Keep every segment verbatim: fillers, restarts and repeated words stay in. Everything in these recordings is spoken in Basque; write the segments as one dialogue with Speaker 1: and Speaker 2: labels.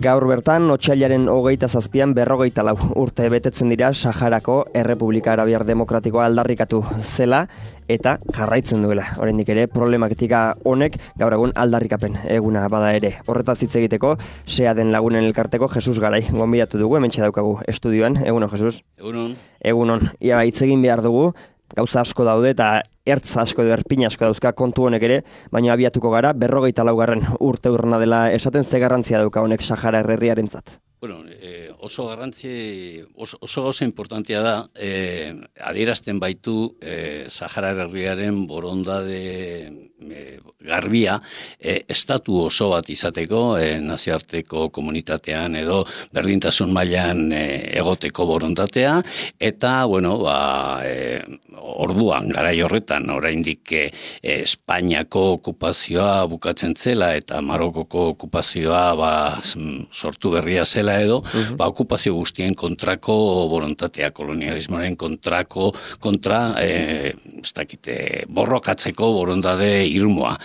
Speaker 1: Gaur bertan, otsailaren hogeita zazpian berrogeita lau urte betetzen dira Saharako Errepublika Arabiar Demokratikoa aldarrikatu zela eta jarraitzen duela. Oraindik ere problematika honek gaur egun aldarrikapen eguna bada ere. Horretaz hitz egiteko, sea den lagunen elkarteko Jesus Garai gonbidatu dugu, hementxe daukagu estudioan. Egunon, Jesus?
Speaker 2: Egunon.
Speaker 1: Egunon. Ia hitz egin behar dugu, gauza asko daude eta ertz asko edo erpin asko dauzka kontu honek ere, baina abiatuko gara berrogeita laugarren urte urrena dela esaten, ze garrantzia dauka honek Sahara herriarentzat.
Speaker 2: Bueno, eh, oso garrantzi, oso, oso gauza importantea da, eh, adierazten baitu eh, Sahara herriaren borondade eh, garbia, eh, estatu oso bat izateko, eh, nazioarteko komunitatean edo berdintasun mailan eh, egoteko borondatea, eta, bueno, ba, eh, orduan, garai horretan, oraindik eh, Espainiako okupazioa bukatzen zela eta Marokoko okupazioa ba, sortu berria zela edo, uh-huh. ba, okupazio guztien kontrako borontatea, kolonialismoaren kontrako, kontra, eh, ez dakite, borrokatzeko borondade irmoa.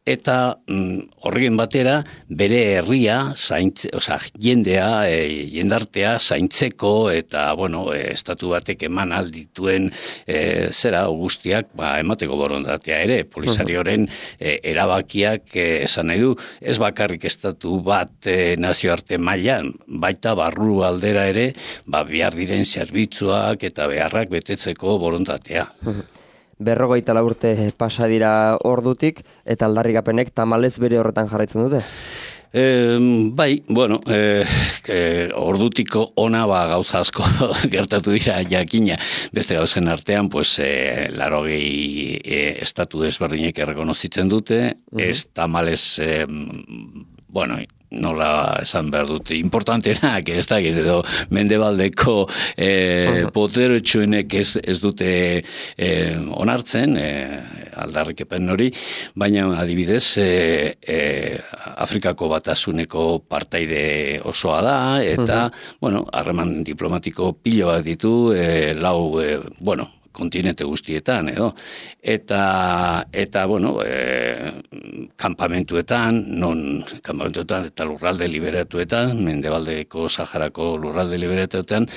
Speaker 2: Eta mm, horregen batera bere herria, zaintze, oza, jendea, e, jendartea zaintzeko eta, bueno, e, estatu batek eman aldituen e, zera guztiak ba, emateko borondatea ere. Polisarioren e, erabakiak e, esan nahi du, ez bakarrik estatu bat e, nazioarte mailan, baita barru aldera ere, ba, behar diren zerbitzuak eta beharrak betetzeko borondatea.
Speaker 1: Berrogeita lau urte pasa dira ordutik, eta aldarrikapenek tamalez bere horretan jarraitzen dute?
Speaker 2: E, bai, bueno, e, e, ordutiko ona ba, gauza asko gertatu dira jakina. Beste gauzen artean, pues, e, larogei e, estatu desberdinek errekonozitzen dute, uh-huh. ez tamalez, e, bueno, nola esan behar dute, importantenak, ez da, edo mendebaldeko eh, poteretsuenek ez, ez dute eh, onartzen, eh, aldarrikepen hori, baina adibidez eh, eh, Afrikako Batasuneko partaide osoa da, eta, uh-huh. bueno, harreman diplomatiko pilo bat ditu, eh, lau, eh, bueno, kontinente guztietan, edo. Eta, eta bueno, e, kanpamentuetan, non kanpamentuetan eta lurralde liberatuetan, mendebaldeko Saharako lurralde liberatuetan,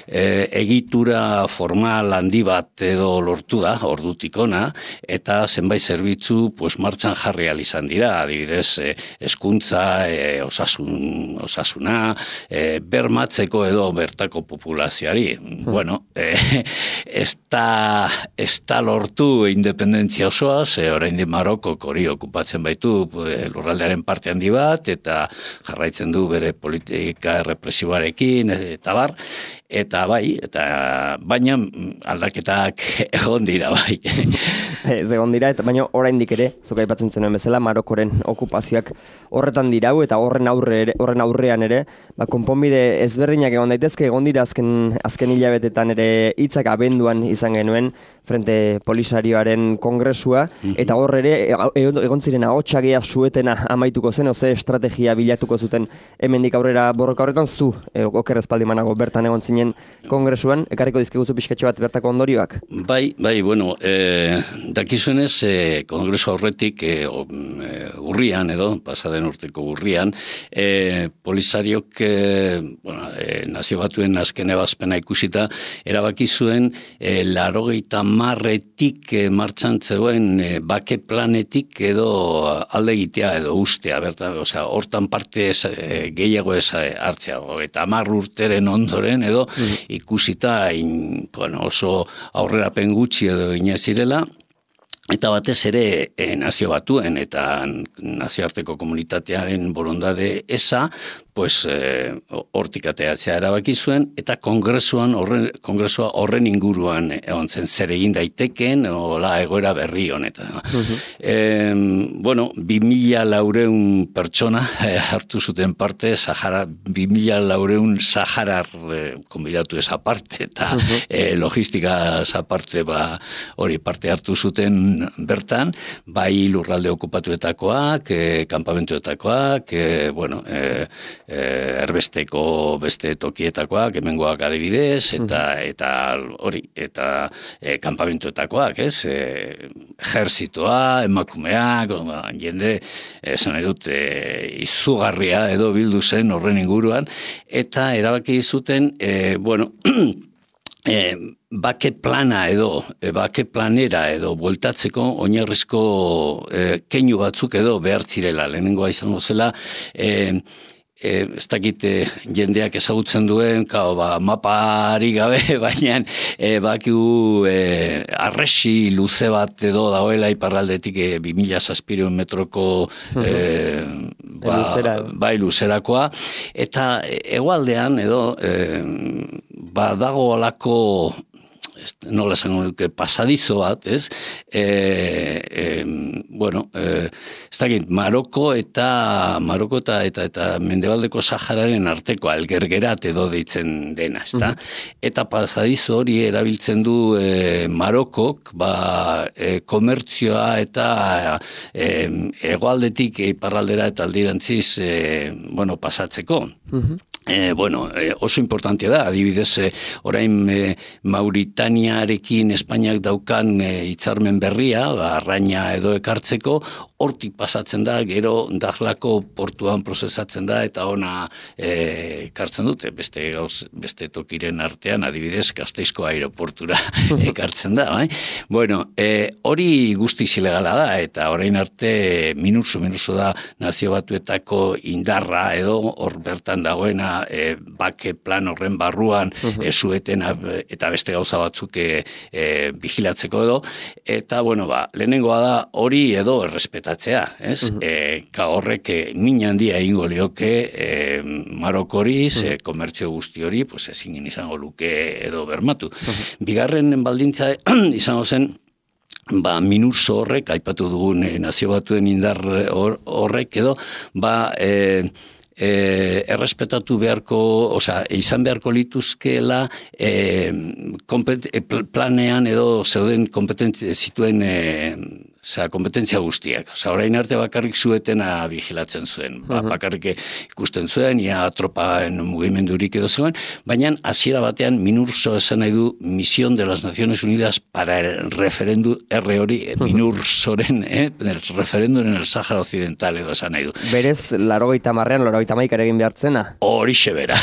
Speaker 2: e, egitura formal handi bat edo lortu da, ordutik ona, eta zenbait zerbitzu pues, martxan jarri ahal izan dira, adibidez, e, hezkuntza, e, osasun, osasuna, e, bermatzeko edo bertako populazioari. Hmm. Bueno, e, ez da ez da lortu independentzia osoa, ze orain di Marokok hori okupatzen baitu lurraldearen parte handi bat, eta jarraitzen du bere politika represiboarekin, eta bar, eta bai, eta baina aldaketak egon dira bai.
Speaker 1: Ez egon dira, eta baina oraindik ere, zuk aipatzen zenuen bezala, Marokoren okupazioak horretan dirau, eta horren aurre ere, horren aurrean ere, ba, konponbide ezberdinak egon daitezke, egon dira azken, azken hilabetetan ere hitzak abenduan izan genuen Frente Polisarioaren kongresua, mm-hmm. eta hor ere egon ziren ahotsagia suetena amaituko zen, oze estrategia bilatuko zuten hemendik aurrera borroka horretan, zu e, oker espaldi manago bertan egon zinen kongresuan, ekarriko dizkiguzu pixkatxo bat bertako ondorioak?
Speaker 2: Bai, bai, bueno, e, dakizuenez e, kongresu horretik e, urrian edo, pasaden urteko urrian, e, Polisariok e, bueno, e, nazio batuen azken ebazpena ikusita, erabaki zuen e, larogeita marretik eh, martxan zegoen eh, bake planetik edo alde egitea edo ustea, bertan, osea, hortan parte ez, eh, gehiago ez hartzea, eta hamar urteren ondoren edo mm. ikusita in, bueno, oso aurrerapen gutxi edo inazirela, eta batez ere eh, nazio batuen eta nazioarteko komunitatearen borondade eza, pues hortik ateatzea erabaki zuen, eta kongresuan horren, kongresua horren inguruan egon zen zer egin daiteken, hola egoera berri honetan. Uh-huh. E, bueno, bi mila laureun pertsona eh, hartu zuten parte, Sahara, bi mila laureun Saharar eh, konbidatu esa parte, eta uh-huh. eh, logistika esa parte ba, hori parte hartu zuten bertan, bai lurralde okupatuetakoak, eh, kanpamentuetakoak, eh, bueno, eh, erbesteko beste tokietakoak, hemengoak adibidez, eta eta hori, eta e, kanpamentuetakoak, ez? E, ejerzitoa, emakumeak, jende, esan nahi dut, e, izugarria edo bildu zen horren inguruan, eta erabaki zuten, e, bueno, E, bake plana edo, e, bake planera edo bueltatzeko oinarrizko e, keinu batzuk edo behar zirela. Lehenengoa izango zela, e, e, ez dakit e, jendeak ezagutzen duen, kao, ba, mapari gabe, baina e, bakigu e, arresi luze bat edo dagoela iparraldetik e, bi mila zazpiehun metroko e, ba, Luzera. bai luzerakoa, eta hegoaldean edo e, ba dago olako, nola esango nuke, pasadizo bat, ez? E, e, bueno, e, ez dakit, Maroko eta Maroko eta eta, eta Mendebaldeko Sahararen arteko algergerat edo deitzen dena, ezta? Mm-hmm. Eta pasadizo hori erabiltzen du e, Marokok, ba, e, komertzioa eta e, hegoaldetik iparraldera eta aldirantziz e, bueno, pasatzeko. Mm-hmm. E, bueno, e, oso importantea da, adibidez, e, orain e, Mauritaniarekin Espainiak daukan e, hitzarmen berria, ba, arraina edo ekartzeko, hortik pasatzen da, gero Dahlako portuan prozesatzen da, eta ona e, ekartzen dute, beste gauz, beste tokiren artean, adibidez, Gasteizko aeroportura ekartzen da, bai? Bueno, e, hori guztiz ilegala da, eta orain arte minusu, minusu da Nazio Batuetako indarra edo hor bertan dagoena E, bake plan horren barruan uh-huh. e, zueten eta beste gauza batzuk e, e, vigilatzeko edo, eta bueno, ba, lehenengoa da hori edo errespetatzea, ez? Uh-huh. E, ka horrek e, min handia egingo lioke e, Marokori, uh-huh. e, komertzio guzti hori, pues ezin izango luke edo bermatu. Uh-huh. Bigarren baldintza izango zen, ba, minurso horrek, aipatu dugun e, Nazio Batuen indar horrek edo, ba, e, E, errespetatu beharko, osea, izan beharko lituzkela e, kompet, e, planean edo zeuden kompetentzia zituen e, Osea, kompetentzia guztiak. Osea, orain arte bakarrik zuetena vigilatzen zuen. Ba, uh-huh. Bakarrik ikusten zuen, ia tropaen mugimendurik edo zegoen, baina hasiera batean Minurso esan nahi du Misión de las Naciones Unidas para el referéndum, R hori, uh-huh. Minursoren, eh, el referéndum en el Sahara Occidental edo esan nahi du.
Speaker 1: Berez, larogeita marrean, larogeita maikar egin behartzena?
Speaker 2: Horixe bera.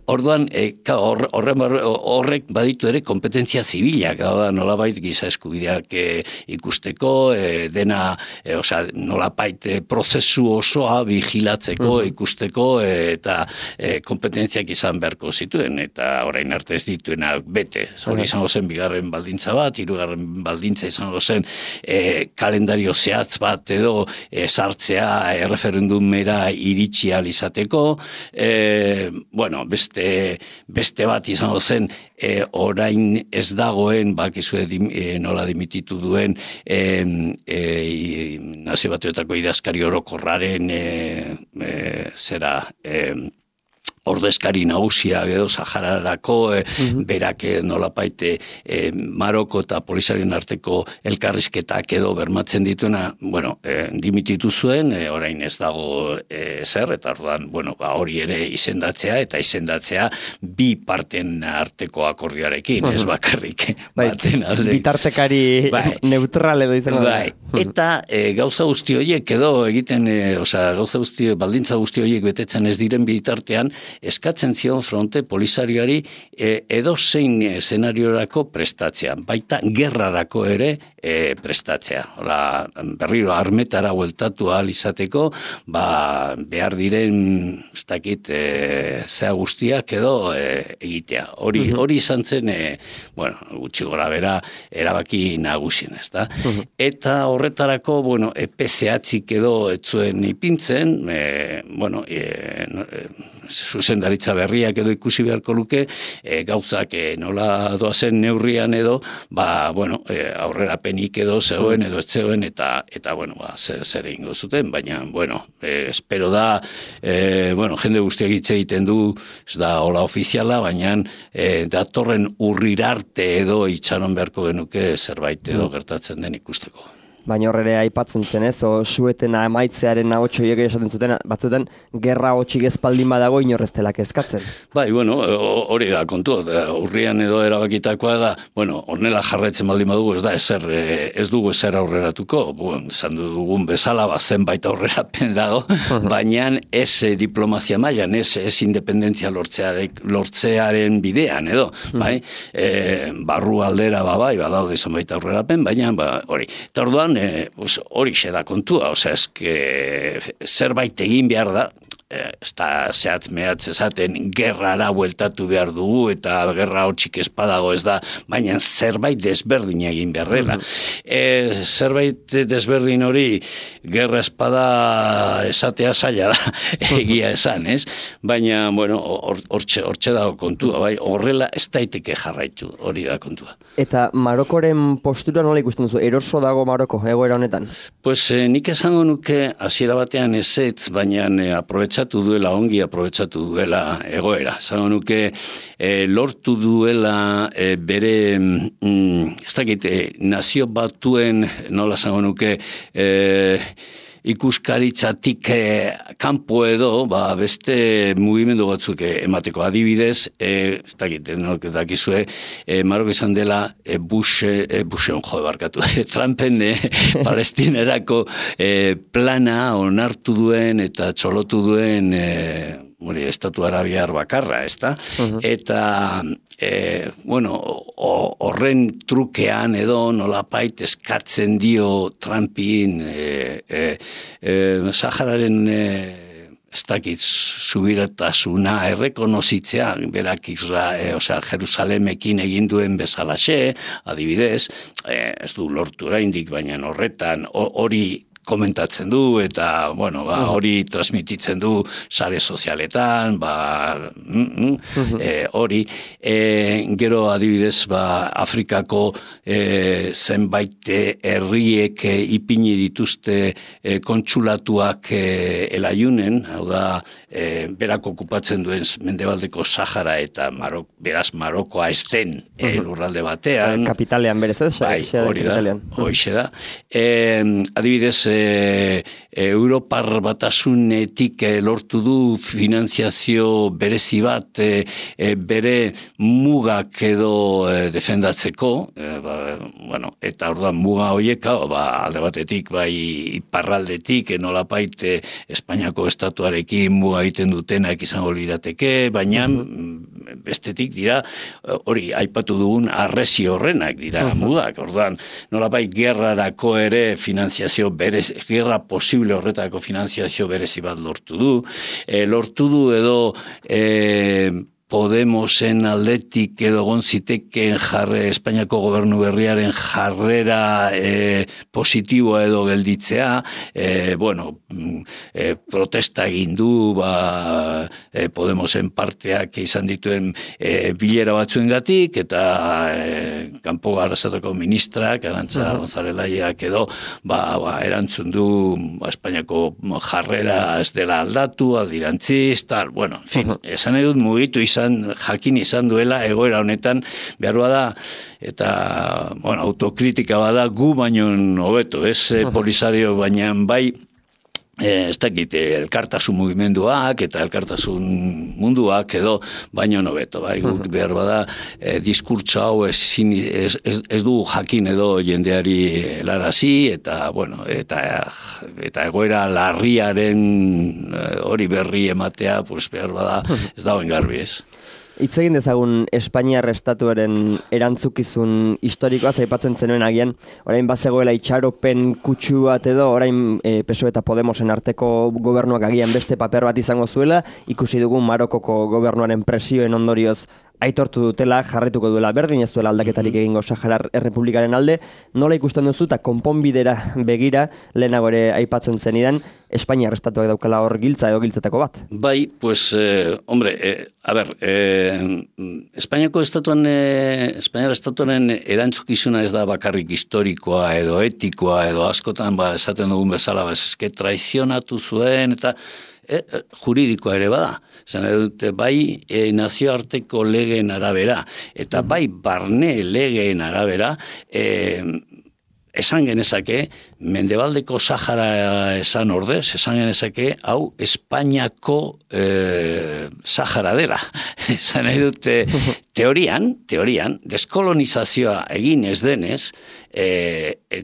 Speaker 2: Orduan, eh, horre, horre, horrek baditu ere kompetentzia zibilak, da nolabait giza eskubideak eh, ikusteko, E, dena, e, osea, nolapait e, prozesu osoa vigilatzeko, uh-huh. ikusteko e, eta e, kompetentziak izan beharko zituen, eta orain arte ez dituenak bete. Hori uh-huh. izango zen bigarren baldintza bat, hirugarren baldintza izango zen e, kalendario zehatz bat edo e, sartzea erreferendumera iritsi ahal izateko, e, bueno, beste, beste bat izango zen e, orain ez dagoen, bakizue dim, e, nola dimititu duen e, E, Nazio Batuetako idazkari orokorraren e, e, zera e, ordezkari nagusia edo Sahararako e, uh-huh. berak nolapaite e, Maroko eta Polisaren arteko elkarrizketak edo bermatzen dituena, bueno, e, dimititu zuen, e, orain ez dago e, zer, eta orduan, bueno, ba, hori ere izendatzea, eta izendatzea bi parten arteko akordioarekin, uh-huh. ez bakarrik
Speaker 1: bai,
Speaker 2: baten alde.
Speaker 1: Bitartekari bai. Neutral edo izango
Speaker 2: bai. da. Eta e, gauza guzti horiek edo egiten, e, osea, gauza guzti, baldintza guzti horiek betetzen ez diren bitartean, eskatzen zion fronte polisarioari e, edo zein eszenariorako prestatzea, baita gerrarako ere e, prestatzea. Ola, berriro armetara bueltatu ahal izateko, ba, behar diren, ez dakit, e, zea guztiak edo e, egitea. Hori, uh-huh. hori izan zen, e, bueno, gutxi gora bera, erabaki nagusien, ez da? Uh-huh. Eta horretarako, bueno, epe zehatzik edo etzuen ipintzen, e, bueno, e, no, e, zuzendaritza berriak edo ikusi beharko luke, e, gauzak e, nola doazen neurrian edo, ba, bueno, e, aurrera penik edo zegoen edo etzegoen, eta, eta bueno, ba, zer, zer egingo zuten, baina, bueno, e, espero da, e, bueno, jende guztiak hitz egiten du, ez da hola ofiziala, baina e, datorren urrirarte edo itxaron beharko genuke zerbait edo gertatzen den ikusteko.
Speaker 1: baina horre aipatzen zen ez, o sueten amaitzearen ahotxoiek ere esaten zuten, batzuetan, gerra hotxik ezpaldin badago inorreztelak eskatzen.
Speaker 2: Bai, bueno, hori da kontu, urrian edo erabakitakoa da, bueno, hornela jarraitzen baldin badugu ez da, ezer, ez dugu ezer aurreratuko, bueno, esan dugun bezala, ba, zenbait aurrerapen dago, baina ez diplomazia mailan, ez, ez independentzia lortzearen, lortzearen bidean, edo, bai, e, barru aldera, ba, bai, badaude zenbait aurrerapen, baina, ba, hori, eta orduan, e, hori xe da kontua, osea, eske, zerbait egin behar da, ez da zehatz mehatz esaten gerrara bueltatu behar dugu eta gerra hotxik espadago ez da, baina zerbait desberdin egin beharrela. E, zerbait desberdin hori gerra espada esatea zaila da, egia esan, ez? Baina, bueno, hortxe or, dago kontua, bai, horrela ez daiteke jarraitu, hori da kontua.
Speaker 1: Eta Marokoren postura nola ikusten duzu? Eroso dago Maroko, egoera honetan?
Speaker 2: Pues eh, nik esango nuke hasiera batean ezetz, baina eh, aprobetsatu duela, ongi aprobetsatu duela egoera. Esango nuke eh, lortu duela eh, bere, mm, ez dakit, eh, nazio batuen, nola esango nuke, eh, ikuskaritzatik eh, kanpo edo, ba, beste mugimendu batzuk emateko adibidez, eh, ez dakit, nork dakizue, eh, Maroko izan dela eh, Bush, eh, Bushen jo barkatu, Trumpen eh, palestinerako eh, plana onartu duen eta txolotu duen eh, Hori, estatu arabiar bakarra, ezta? Uh-huh. Eta, e, bueno, horren trukean edo nolapait eskatzen dio Trumpin e, e, e, Sahararen e, ez dakit subiratasuna errekonozitzea, berak Isra, e, osea, Jerusalemekin egin duen bezalaxe, adibidez, e, ez du lortu oraindik, baina horretan hori komentatzen du eta bueno, ba, hori transmititzen du sare sozialetan, ba mm, mm, e, hori e, gero adibidez ba, Afrikako e, zenbait herriek e, ipini dituzte e, kontsulatuak e, elaiunen, hau da e, berak okupatzen duen mendebaldeko Sahara eta Marok, beraz Marokoa ez den e, lurralde batean.
Speaker 1: Kapitalean berez ez?
Speaker 2: Bai, hori da, hori da. E, adibidez, e, Europar batasunetik e, lortu du finanziazio berezi bat e, e, bere mugak edo e, defendatzeko, e, ba, bueno, eta orduan muga horiek, ba, alde batetik, bai iparraldetik, e, nolapait e, Espainiako estatuarekin muga egiten dutenak izango lirateke, baina bestetik dira, hori aipatu dugun arresi horrenak dira uh-huh. mugak, orduan nolapait gerrarako ere finanziazio berez, gerra posible horretako finanziazio berezi bat lortu du, e, lortu du edo e, Podemosen aldetik edo gonziteken jarre, Espainiako gobernu berriaren jarrera e, positiboa edo gelditzea, e, bueno, e, protesta egin du, ba, e, Podemosen parteak izan dituen e, bilera batzuengatik eta e, kanpo arrasatako ministrak, Arantza uh-huh. González Laiak edo, ba, ba, erantzun du ba, Espainiako jarrera ez dela aldatu, aldirantziz, tal, bueno, en fin, uh-huh. esan edut mugitu izan jakin izan duela egoera honetan behar bada eta bueno, autokritika bada gu baino hobeto, ez uh-huh. Polisario baina bai ez dakit elkartasun mugimenduak eta elkartasun munduak edo baino hobeto, bai, guk behar bada eh, diskurtso hau ez, ez, ez, ez du jakin edo jendeari helarazi eta bueno, eta eta egoera larriaren hori berri ematea, pues behar bada ez dagoen garbi ez.
Speaker 1: Hitz egin dezagun Espainiar estatuaren erantzukizun historikoa aipatzen zenuen agian, orain bazegoela itxaropen kutsu bat edo, orain e, P S O E eta Podemosen arteko gobernuak agian beste paper bat izango zuela, ikusi dugun Marokoko gobernuaren presioen ondorioz aitortu dutela, jarretuko duela berdin, ez duela aldaketarik egingo Saharar Errepublikaren alde, nola ikusten duzu eta konponbidera begira, lehenago ere aipatzen zenidan, Espainiar estatuak daukala hor giltza edo giltzetako bat?
Speaker 2: Bai, pues, eh, hombre, eh, a ber, eh, Espainiako estatuan, eh, Espainiar estatuaren erantzukizuna ez da bakarrik historikoa edo etikoa edo askotan, ba, esaten dugun bezala, ba, eske traizionatu zuen eta E, juridikoa ere bada. Zena dute, bai e, nazioarteko legeen arabera, eta bai barne legeen arabera, e, esan genezake, Mendebaldeko Sahara esan ordez, esan genezake, hau Espainiako e, Sahara dela. Esan nahi dute, teorian, teorian, deskolonizazioa egin ez denez, e, e,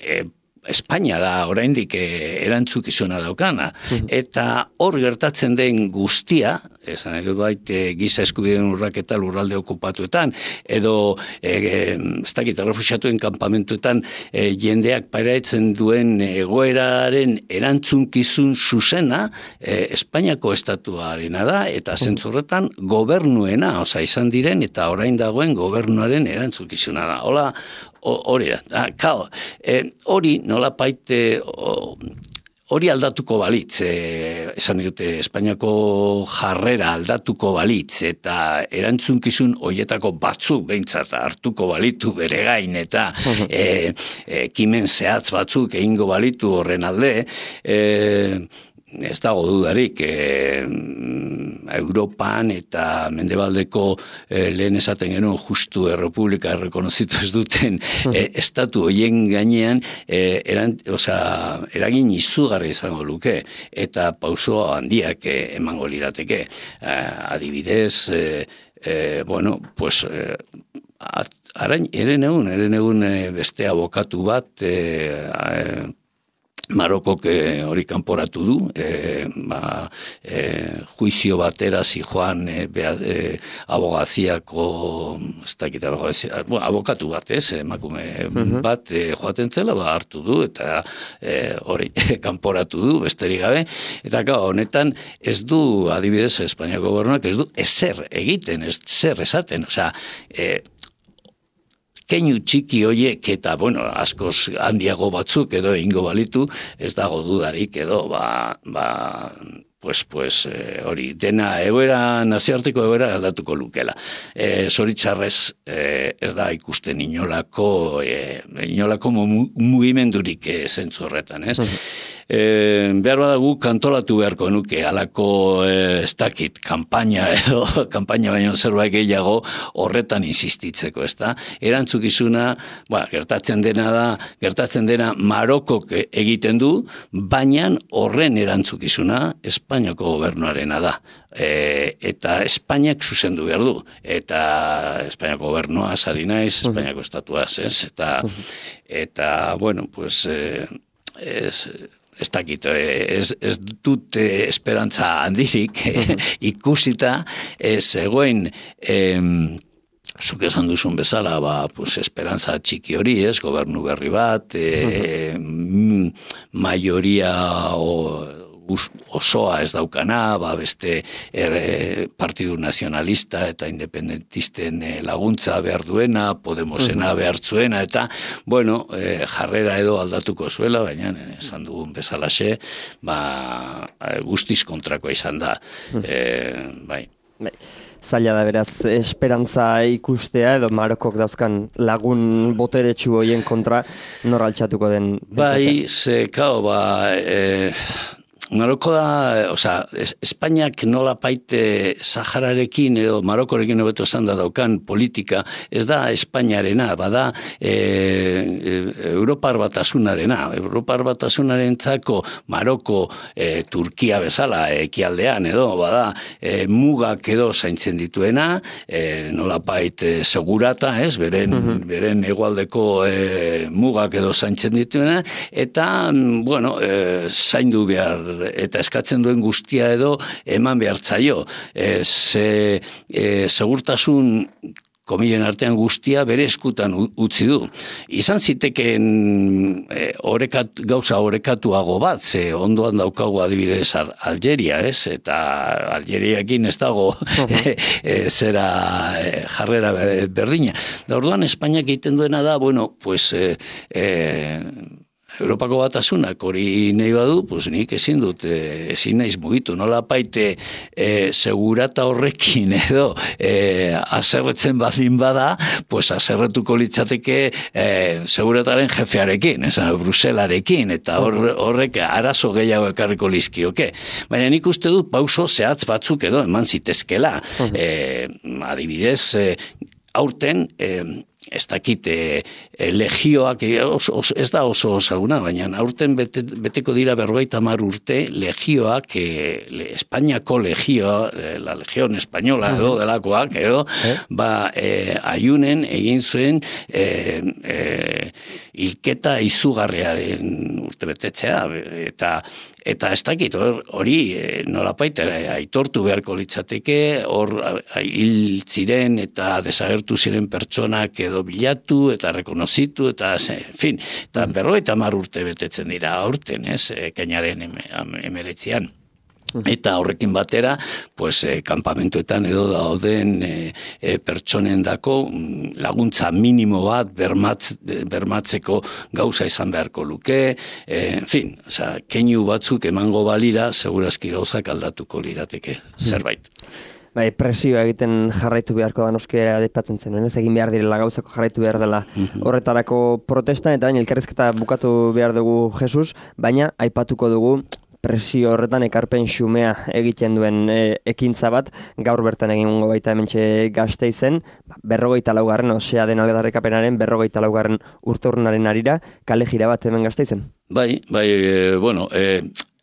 Speaker 2: e, Espainia da oraindik erantzukizuna daukana, eta hor gertatzen den guztia, esan edo bait giza eskubideen urraketa lurralde okupatuetan, edo e, ez dakit errefuxiatuen kanpamentuetan e, jendeak pairatzen duen egoeraren erantzunkizun zuzena e, Espainiako estatuarena da, eta zentzurretan gobernuena, oza, izan diren, eta orain dagoen gobernuaren erantzunkizuna da. Hola, hori da, kao, hori nola paite, hori aldatuko balitz, e, esan dute Espainiako jarrera aldatuko balitz, eta erantzunkizun hoietako batzuk behintzat hartuko balitu bere gain, eta e, e, kimen zehatz batzuk egingo balitu horren alde, e, ez dago dudarik, e, Europan eta Mendebaldeko e, lehen esaten genuen justu errepublika errekonozitu ez duten e, estatu hoien gainean e, eran, oza, eragin izugarri izango luke eta pauso handiak e, emango lirateke. E, adibidez, e, e, bueno, pues... E, Arain, eren egun, eren egun e, beste abokatu bat, e, e, Marokok hori kanporatu du, e, ba, e, juizio batera zijoan e, e, abogaziako, ez dakit abogazia, bueno, abokatu bat, ez, emakume uh-huh. bat e, joaten zela, ba, hartu du, eta e, hori kanporatu du, besterik gabe, eta gau, honetan ez du, adibidez, Espainiako gobernuak ez du, ezer egiten, ez zer esaten, osea, e, keinu txiki hoiek eta, bueno, askoz handiago batzuk edo ingo balitu, ez dago dudarik edo, ba, ba, pues, pues, hori, e, dena egoera, nazioarteko egoera aldatuko lukela. E, Zoritxarrez, e, ez da ikusten inolako, e, inolako mugimendurik e, zentzu horretan, ez? Uh-huh. E, behar badagu kantolatu beharko nuke, alako e, ez dakit, kanpaina edo, kanpaina baino zerbait gehiago horretan insistitzeko, ez da? Erantzukizuna, ba, gertatzen dena da, gertatzen dena Marokok egiten du, baina horren erantzukizuna Espainiako gobernuarena da. E, eta Espainiak zuzendu behar du, eta Espainiako gobernua sari naiz, Espainiako estatuaz, ez? Eta, eta bueno, pues, e, ez... ez dakit, ez, ez dut esperantza handirik ikusita, zegoen, zuk esan duzun bezala, ba, pues, esperantza txiki hori, ez, gobernu berri bat, e, maioria o, osoa ez daukana, ba, beste er, Partidu Nazionalista eta Independentisten laguntza behar duena, Podemosena behar zuena, eta, bueno, e, jarrera edo aldatuko zuela, baina esan dugun bezalaxe, ba, guztiz kontrakoa izan da. E, bai.
Speaker 1: Bai. Zaila da beraz, esperantza ikustea edo Marokok dauzkan lagun boteretsu hoien kontra nor altxatuko den.
Speaker 2: Bai, ze, kao, ba... E, Maroko da, oza, Espainiak nola paite Sahararekin edo Marokorekin hobeto esan da daukan politika, ez da Espainiarena, bada e, e, Europar batasunarena. Europar batasunaren txako Maroko e, Turkia bezala ekialdean edo, bada e, mugak edo zaintzen dituena, e, nola paite segurata, ez, beren, uh-huh. beren egualdeko e, mugak edo zaintzen dituena, eta, bueno, e, zaindu behar eta eskatzen duen guztia edo eman behar zaio. E, ze, e, segurtasun komilen artean guztia bere eskutan utzi du. Izan ziteken e, orekat, gauza orekatuago bat, ze ondoan daukagu adibidez Algeria, ez? Eta Algeriakin ez dago e, e, zera e, jarrera berdina. Da orduan Espainiak egiten duena da, bueno, pues... E, e, Europako batasunak hori nahi badu, pues nik ezin dut, ezin naiz mugitu, nola paite e, segurata horrekin edo e, aserretzen badin bada, pues aserretuko litzateke e, segurataren jefearekin, esan, Bruselarekin, eta hor, horrek arazo gehiago ekarriko lizkioke. Baina nik uste dut pauso zehatz batzuk edo eman zitezkela. E, adibidez, e, aurten, e, ez dakit, e, e, legioak, e, oso, oso, ez da oso osaguna, baina aurten bete, beteko dira berrogeita hamar urte legioak, e, le, Espainiako legioa, e, la Legión Española edo delakoak, edo, eh? ba, e, aiunen egin zuen e, e, hilketa izugarriaren urte betetzea, eta Eta ez dakit, hori nolapait aitortu beharko litzateke, hor hil ziren eta desagertu ziren pertsonak edo bilatu eta rekonozitu, eta, en fin, eta berrogeita hamar urte betetzen dira aurten, ez, ekainaren emeretzian. Eta horrekin batera, pues, eh, kanpamentuetan edo dauden eh, eh, pertsonen dako laguntza minimo bat bermatz, bermatzeko gauza izan beharko luke, eh, en fin, oza, keinu batzuk emango balira, segurazki gauzak aldatuko lirateke zerbait.
Speaker 1: Bai, presioa egiten jarraitu beharko da noskera adipatzen zen, ez egin behar direla gauzako jarraitu behar dela horretarako protesta, eta baina elkarrizketa bukatu behar dugu Jesus, baina aipatuko dugu presio horretan ekarpen xumea egiten duen e, ekintza bat, gaur bertan egingo baita hementxe Gasteizen, berrogeita laugarren, osea den aldarrikapenaren berrogeita laugarren urteurrenaren arira, kale jira bat hemen Gasteizen.
Speaker 2: Bai, bai, e, bueno, e,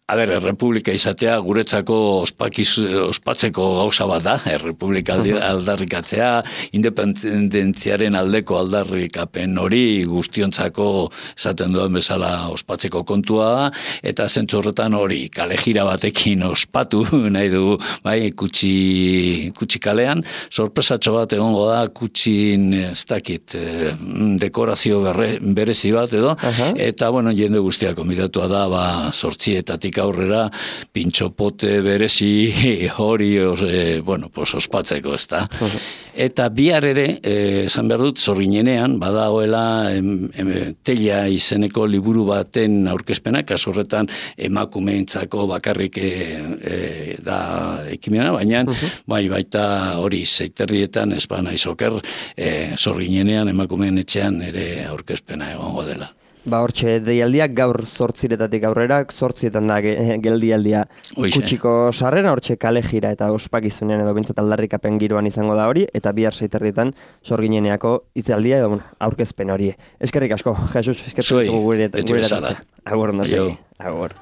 Speaker 2: a ber, Errepublika izatea guretzako ospakiz, ospatzeko gauza bat da, Errepublika aldarrikatzea, independentziaren aldeko aldarrikapen hori guztiontzako esaten duen bezala ospatzeko kontua da, eta zentzu horretan hori kale jira batekin ospatu nahi dugu, bai, kutsi, kutsi kalean, sorpresatxo bat egongo da, kutsin, ez dakit, dekorazio berre, berezi bat edo, uh-huh. Eta, bueno, jende guztiak konbidatua da, ba, sortzietatik aurrera pintxopote berezi hori e, bueno, pues ospatzeko, ez da. Uh-huh. Eta bihar ere, esan behar dut, zorginenean, badagoela em, em, telia izeneko liburu baten aurkezpena, kasu horretan emakumeentzako bakarrik e, e, da ekimena, baina uh-huh. bai baita hori zeiterrietan ez bana izoker e, zorginenean emakumeen etxean ere aurkezpena egongo dela.
Speaker 1: Ba, hortxe, deialdiak gaur zortziretatik aurrera, zortzietan da geldialdia kutsiko sarrera, hortxe kale jira eta ospakizunean edo bintzat aldarrikapen giroan izango da hori, eta bihar zeiterdietan zorgineneako hitzaldia edo aurkezpen hori. Eskerrik asko, Jesus, eskerrik asko gure eta agur ondo segi. Agur.